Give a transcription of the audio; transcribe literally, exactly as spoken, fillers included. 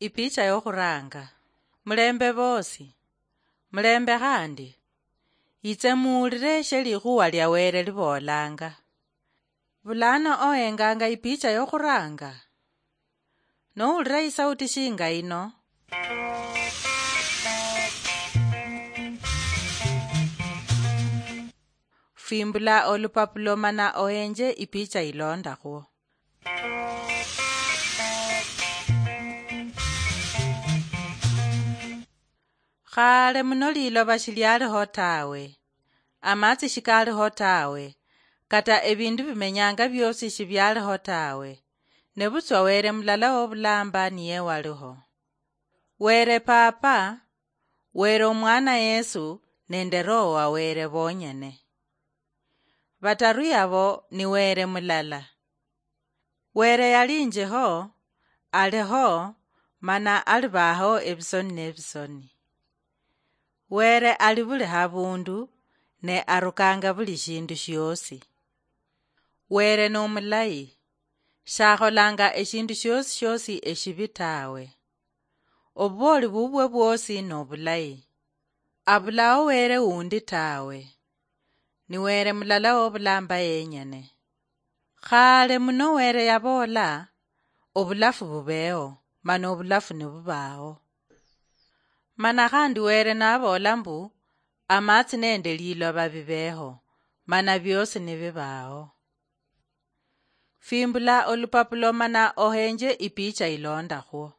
Ipicha yokhuranga. Mulembe bosi. Mulembe khandi. Itse muwulire eshe likhuwa lia Wele liboolanga. Bulano ohenganga ipicha yokhuranga? Nowulira isauti shinga ino, fimbula olupapulo mana ohenje ipicha ilondakhwo. Khale muno liloba shilialiho tawe, amatsi shikaliho tawe, kata ebindu bimenyanga biosi shibialiho tawe, nebutswa Wele mulala wobulamba niye waliho. Wele Papa, Wele Omwana Yesu, nende Roho wa Wele bonyene. Bataru yabo ni Wele mulala. Wele yalinjiho, aliho, mana alibaho ebisoni nebisoni. Wele ali buli habundu, ne arukanga buli shindu shiosi. Wele nomulayi, shakholanga eshindu shiosi shiosi eshibi tawe. Obubooli bubwe bwosi nobulayi. Abulao Wele wundi tawe. Ni Wele mulala wobulamba yenyene. Khale muno Wele yaboola, obulafu bubeeo, mana obulafu nibubaao. Mana khandi Wele naboola mbu, amatsi nende liloba bibeeho, mana biosi nibibaao. Fimbula olupapulo mana ohenje ipicha ilondakhwo.